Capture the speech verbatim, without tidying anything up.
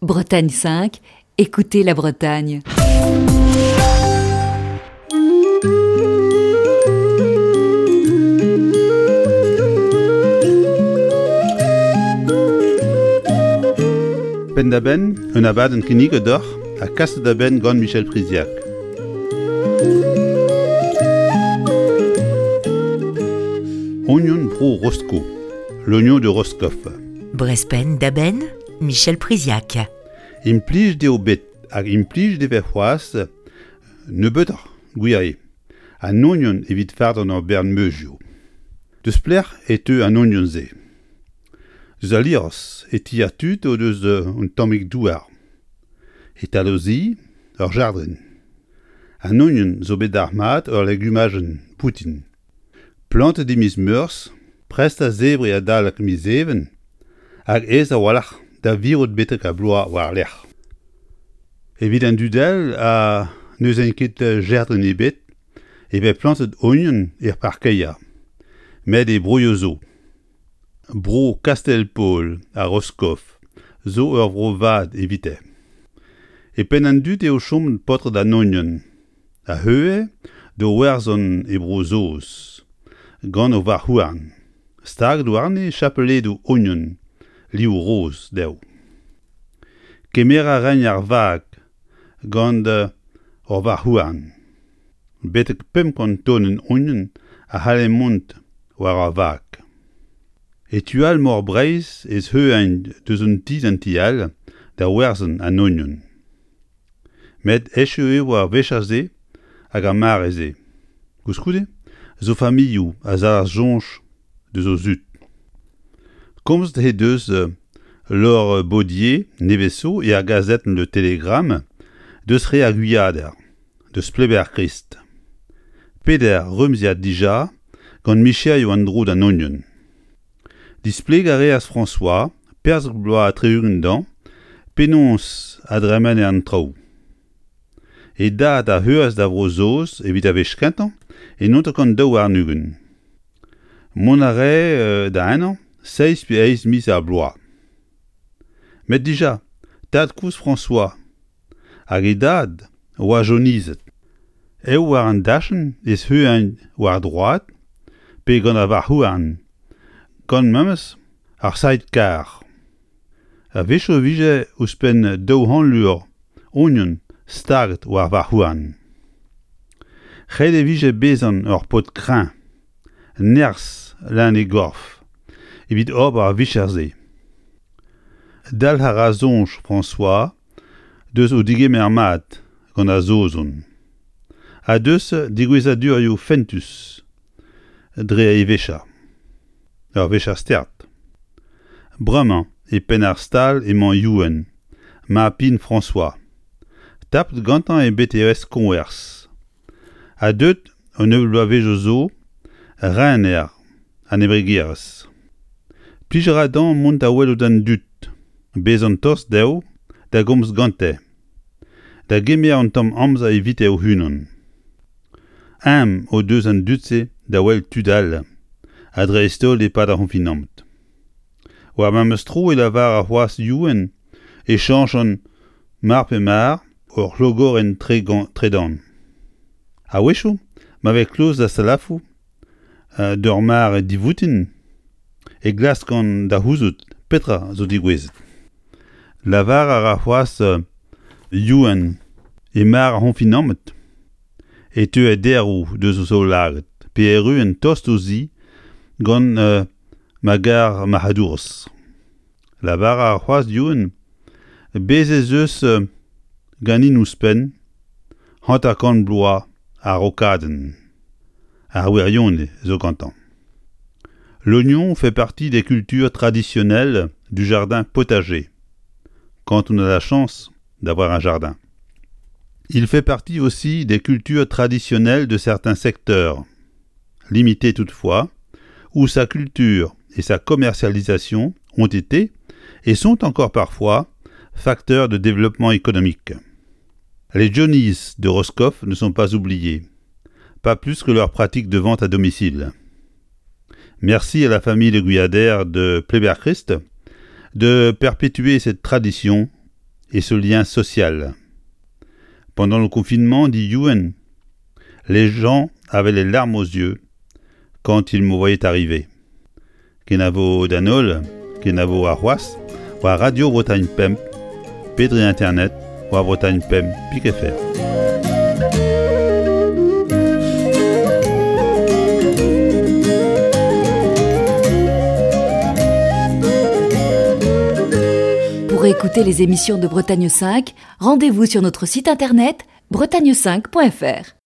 Bretagne cinq, écoutez la Bretagne. Penn-da-benn, un abadenn kinniget deoc'h ha kaset da benn gant Michel Priziac. Ognon bro Rosko, l'oignon de Roscoff. Brezh Penn-da-Benn, Michel Priziac. Implij eo bet hag implij e vez c'hoazh nebeutoc'h gwir eo. An ognon evit fardañ ur bern meuzioù. Deus pelec'h e teu an ognon-se? Deus al liorzh e ti ar tud o deus un tammig douar. E-tal o zi, ur jardrin. An ognon zo bet dalc'hmat ur legumajenn boutin. Plantet e miz Meurzh, prest da zebriñ adalek miz Even, hag aes a-walc'h da virout betek ar bloaz war-lerc'h. Evit an dud all ha n'eus ket jardrin ebet e vez plantet ognon er parkeier, met e broioù zo. Bro Kastell-Paol ha Roscoff zo ur vro vat evite. E penn an dud eo chomet paotred an ognon, a heue d'o werzhont e Bro-Saoz, gant o varc'h-houarn, staget warne chapeledoù ognon liv roz dezho. Kemer a raent ar vag gant ur varc'h-houarn. Betek pemp kant tonenn ognon a c'halle mont war ar vag. E tu all mor Breizh ez heuent deus un ti d'an ti all da werzhañ an ognon. Met echu eo ar vicher-se hag ar mare-se. Koulskoude zo familhoù a zalc'h soñj deus o zud. Komzet he deus Laure Baudier nevez zo er gazetenn Le Télégramme deus re ar Gwiader, deus Pleber-Krist. Peder remziad dija gant micherioù an dro d'an ognon. Displegañ a reas François, perzh bloaz ha tri-ugent dezhañ, penaos a dremene an traoù. E dad a heuas da Vro-Saoz evit ar wech kentañ e naontek daou warn-ugent. Mont a rae da ennañ seizh pe eizh miz ar bloaz. Met dija, tad-kozh François hag e dad oa jonizet. Eo war an dachenn ez heuent war droad pe gant ar varc'h-houarn, gant memes ar sidecar. A-wechoù e vije ouzhpenn daou c'hant lur ognon staget war varc'h-houarn. Ret e vije bezañ ur paotr kreñv, nerzh leun e gorf, evit ober ar vicher-se. Dalc'h a ra soñj François deus o degemer mat gant ar Saozon, ha deus degouezhadurioù fentus dre e vicher. Ur vicher start. Bremañ e penn ar stal emañ Youenn, mab-bihan François. Tapet gantañ e B T S koñvers. Ha deuet un nebeud bloavezhioù zo rener an embregerezh. Plij a ra dezhañ mont da welout an dud, bezañ tost dezho, da gomz gante, da gemer un tamm amzer evite o-unan. Aon o deus an dud-se da welet tud all, ha dreist-holl e-pad ar c'honfinamant. War memes tro e lavar ar c'hoazh Youenn e chañchont mar pe mar ur c'hlogorenn tredan. A-wechoù, ma vez kloz da salafoù d'ur mare divoutin, e glaskan da c'houzout petra zo degouezhet. Lavar a ra c'hoazh Youenn e mare ar c'honfinamant e teu daeroù deus o zaoulagad pe erruent tost o zi gant euh, ma gar marc'hadourezh. Lavar a ra c'hoazh Youenn bez' ez eus ganin ouzhpenn hanter-kant bloaz a-raokadenn. Ar wirionez zo gantañ. L'oignon fait partie des cultures traditionnelles du jardin potager, quand on a la chance d'avoir un jardin. Il fait partie aussi des cultures traditionnelles de certains secteurs, limités toutefois, où sa culture et sa commercialisation ont été, et sont encore parfois, facteurs de développement économique. Les Johnnies de Roscoff ne sont pas oubliés, pas plus que leur pratique de vente à domicile. Merci à la famille Le Guyader de Pleyber-Christ de perpétuer cette tradition et ce lien social. Pendant le confinement, dit Youenn, les gens avaient les larmes aux yeux quand ils me voyaient arriver. Kenavo d'an holl, kenavo arc'hoazh, war Radio Bretagne Pemp, pe dre internet, war Bretagne Pemp pik F R. Pour écouter les émissions de Bretagne cinq, rendez-vous sur notre site internet bretagne cinq point F R.